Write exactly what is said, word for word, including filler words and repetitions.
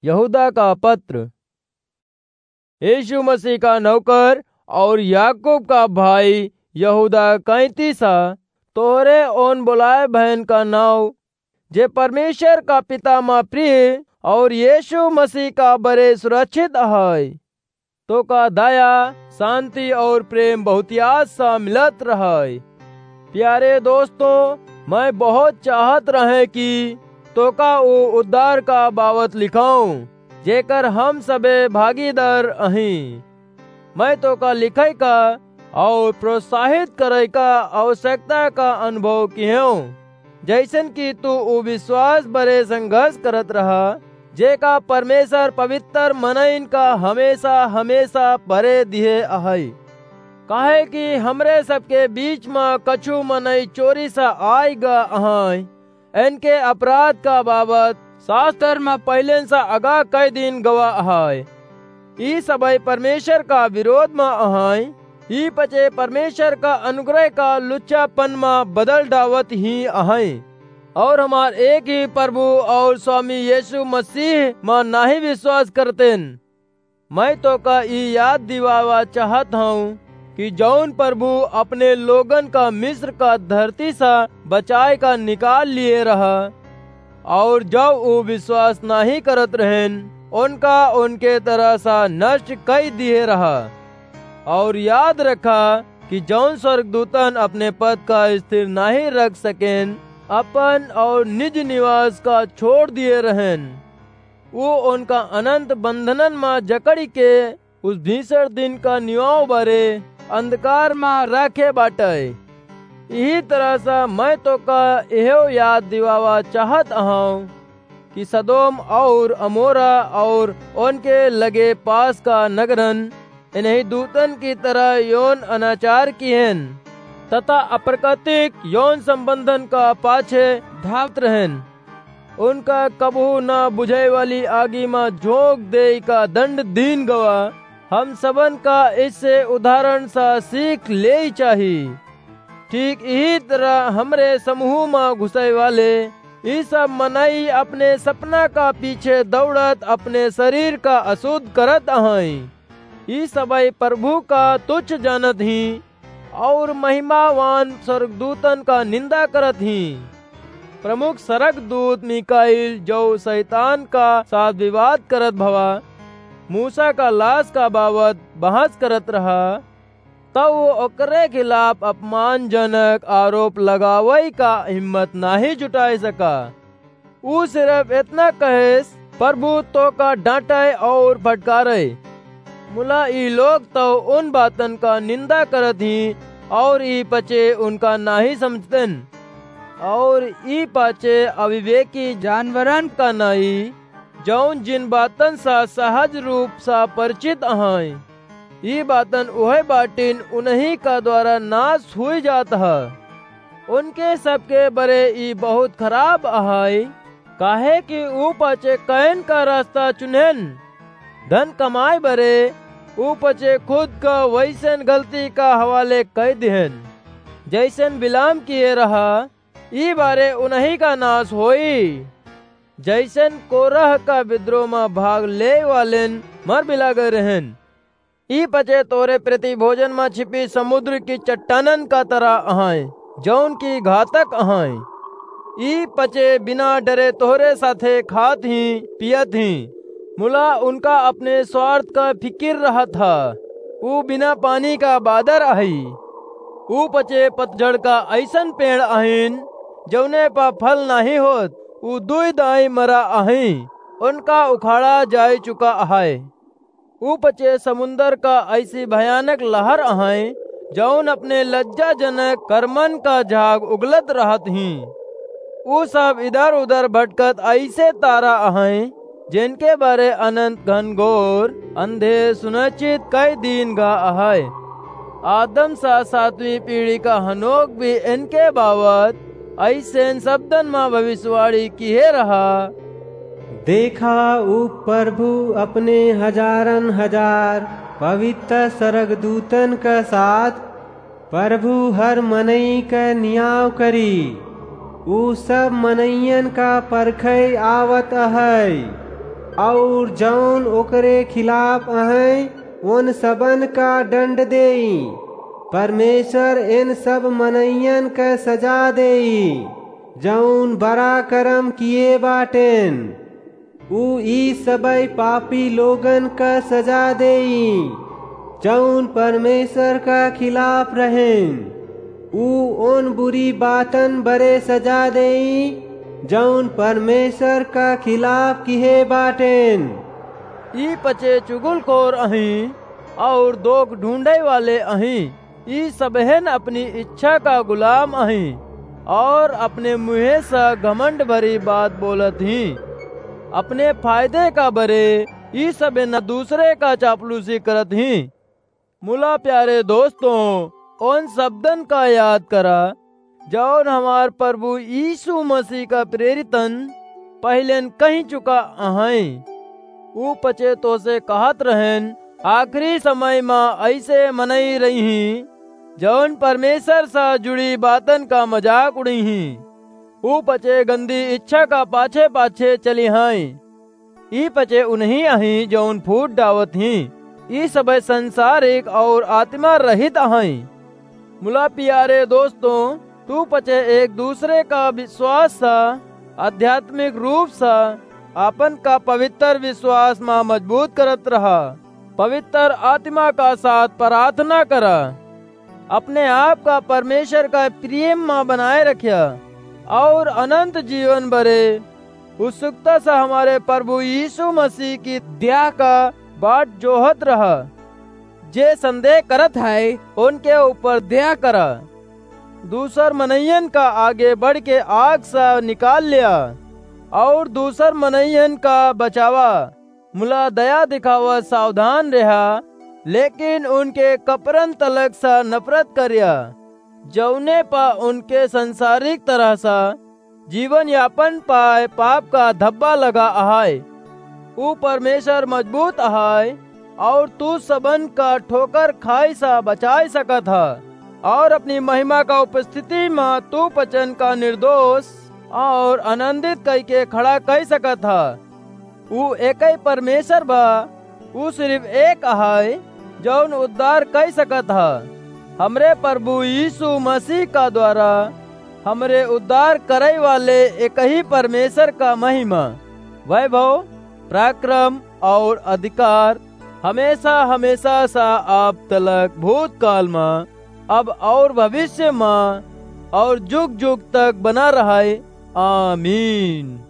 यहूदा का पत्र। यीशु मसीह का नौकर और याकूब का भाई यहूदा कैंतीसा, तोहरे ओन बुलाए बहन का नाव, जे परमेश्वर का पिता मा प्रिय और यीशु मसीह का बरे सुरक्षित है, तोका दया, शांति और प्रेम बहुतियात सा मिलत रहै। प्यारे दोस्तों, मैं बहुत चाहत रहे कि तोका ऊ उद्धार का बाबत लिखाऊं, जेकर हम सबे भागीदार अहीं। मैं तोका लिखै का और प्रोत्साहित करै का आवश्यकता का अनुभव किहेंव, जैसन कि तू ऊ विश्वास बरे संघर्ष करत रहा, जेका परमेश्वर पवित्र मनइन का हमेशा, हमेशा बरे दिहे अहै। काहे कि हमरे सबके बीच म कछु मनई चोरी सा आइ गा अहै, इनके अपराध का बाबत शास्त्र म पहिलेन सा अगा कई दिन गवा अहै। ई सबै परमेश्वर का विरोध म अहै, ई पचे परमेश्वर का अनुग्रह का लुच्चापन म बदल डावत ही अहै, और हमार एक ही प्रभु और स्वामी यीशु मसीह म नाही विश्वास करतेन। मैं तोका ई याद दिवावा चाहत हूँ कि जौन प्रभु अपने लोगन का मिस्र का धरती सा बचाए का निकाल लिए रहा, और जब ऊ विश्वास नाही करत रहेन, उनका उनके तरह सा नष्ट कई दिए रहा। और याद रखा कि जौन स्वर्गदूतन अपने पद का स्थिर नाही रख सकेन, अपन और निज निवास का छोड़ दिए रहेन, वो उनका अनंत बंधनन मा जकड़ी के उस भीषण दिन का निवाव बरे अंधकार मा राखे बाटै। इही तरह से मैं तोका एहो याद दिवावा चाहत अहौं कि सदोम और अमोरा और उनके लगे पास का नगरन इन्हीं दूतन की तरह यौन अनाचार किहेन तथा अप्राकृतिक यौन संबंधन का पाछे धावत रहेन। उनका कबहू ना बुझाए वाली आगी मा झोंक देई का दंड दीन गवा। हम सबन का इससे उदाहरण सा सीख लेई चाही। ठीक इही तरह हमरे समूह मा घुसै वाले ई सब मनई अपने सपना का पीछे दौड़त अपने शरीर का अशुद्ध करत अहैं। ई सबै प्रभु का तुच्छ जानत ही और महिमावान स्वर्गदूतन का निंदा करत ही। प्रमुख स्वर्गदूत मीकाईल, जो शैतान का साथ विवाद करत भवा, मूसा का लाश का बाबत बहस करत रहा, तब वो ओकरे खिलाफ अपमानजनक आरोप लगावै का हिम्मत नाही जुटाए सका। ऊ सिर्फ इतना कहेस, "प्रभु तोका डांटै और फटकारै।" मुला ई लोग तो उन बातन का निंदा करत ही और ई पचे उनका नाही समझतेन। और ई पाचे अविवेकी जानवरन का नाई, जौन जिन बातन सा सहज रूप सा परिचित अहैं। ई बातन उहै बाटिन उन्हीं का द्वारा नाश हुई जात ह। उनके सबके बरे ई बहुत खराब अहै, काहे कि ऊ पाचे कैन का रास्ता चुनेन। धन कमाए बरे ऊ पाचे खुद का वैसन गलती का हवाले कै दिहेन, जैसन बिलाम किए रहा। ई बारे उन्हीं का नाश होई, जैसन कोरह का विद्रोह मा भाग ले वालेन मर बिला गए रहेन। ई पचे तोरे प्रति भोजन मा छिपी समुद्र की चट्टानन का तरह अहैं, जौन की घातक अहैं। ई पचे बिना डरे तोहरे साथे खात ही, पियत ही। मुला उनका अपने स्वार्थ का फिकिर रहत ह। ऊ बिना पानी का बादर अहै। ऊ पचे पतझड़ का ऐसन पेड़ अहिन, जौने पा फल नाही होत। ऊ दुई दाई मरा अहैं, उनका उखाड़ा जाय चुका अहै। ऊ पचे समुंदर का ऐसी भयानक लहर अहैं, जौन अपने लज्जाजनक कर्मन का झाग उगलत रहत हीं। ऊ सब इधर-उधर भटकत ऐसे तारा अहैं, जिनके बारे अनंत घनघोर अंधे सुनिश्चित कई दिन गा अहै। आदम सा सातवीं पीढ़ी का हनोक भी इनके बाबत ऐसेन शब्दन मा भविष्यवाणी किहे रहा। देखा, ऊ प्रभु अपने हजारन हजार पवित्र स्वर्गदूतन के साथ प्रभु हर मनई के नियाव करी। ऊ सब मनइयन का परखै आवत अहै। और जौन ओकरे खिलाफ अहैं, उन सबन का दंड देई। परमेश्वर इन सब मनइयन क सजा देई, जौन बड़ा करम किए बाटेन। ऊ ई सबई पापी लोगन क सजा देई, जौन परमेश्वर का खिलाफ रहेन। ऊ उन बुरी बातन बरे सजा देई, जौन परमेश्वर का खिलाफ किहे बाटेन। ई पचे चुगलखोर अहीं और दोख ढूंढे वाले अहीं। ई सबहेन अपनी इच्छा का गुलाम अहीं और अपने मुँहे से घमंड भरी बात बोलत हीं। अपने फायदे का बरे ई सबहेन दूसरे का चापलूसी करत हीं। मुला प्यारे दोस्तों, उन शब्दन का याद करा, जौन हमार प्रभु यीशु मसीह का प्रेरितन पहिलेन कहि चुका अहैं। ऊ पचे तोसे कहत रहेन, आखिरी समय मा ऐसे मनई रही हीं, जौन परमेश्वर से जुड़ी बातन का मजाक उड़ई हीं। ऊ पचे गंदी इच्छा का पाछे पाछे चली हीं। ई पचे उन्हीं अहीं जौन फूट डावत हीं। ई सबे संसारिक और आत्मा रहित अहैं। मुला प्यारे दोस्तों, तू पचे एक दूसरे का विश्वास सा, आध्यात्मिक रूप सा, आपन का पवित्र विश्वास मा मजबूत करत रहा। पवित्र आत्मा का साथ प्रार्थना करा। अपने आप का परमेश्वर का प्रेम मा बनाए रख्या और अनंत जीवन बरे उत्सुकता से हमारे प्रभु यीशु मसीह की द्याह का बाट जोहत रहा। जे संदेह करत है, उनके ऊपर दया करा। दूसर मनइयन का आगे बढ़ के आग से निकाल लिया और दूसर मनइयन का बचावा। मुला दया दिखावा सावधान रहा, लेकिन उनके कपरन तलक से नफरत करिया, जौने पा उनके संसारिक तरह से जीवन यापन पाए पाप का धब्बा लगा अहाय। ऊ परमेश्वर मजबूत अहाय और तू सबन का ठोकर खाई सा बचाए सकत ह और अपनी महिमा का उपस्थिति मा तू पचन का निर्दोष और आनंदित कई के खड़ा कई सकत ह। ऊ एकई परमेश्वर बा, ऊ सिर्फ एक अहाय, जौन उद्धार कई सकत ह। हमरे प्रभु यीशु मसीह का द्वारा हमरे उद्धार करई वाले एकही परमेश्वर का महिमा, वैभव, पराक्रम और अधिकार हमेशा, हमेशा सा अब तलक भूतकाल मा, अब और भविष्य मा और जुग जुग तक बना रहय। आमीन।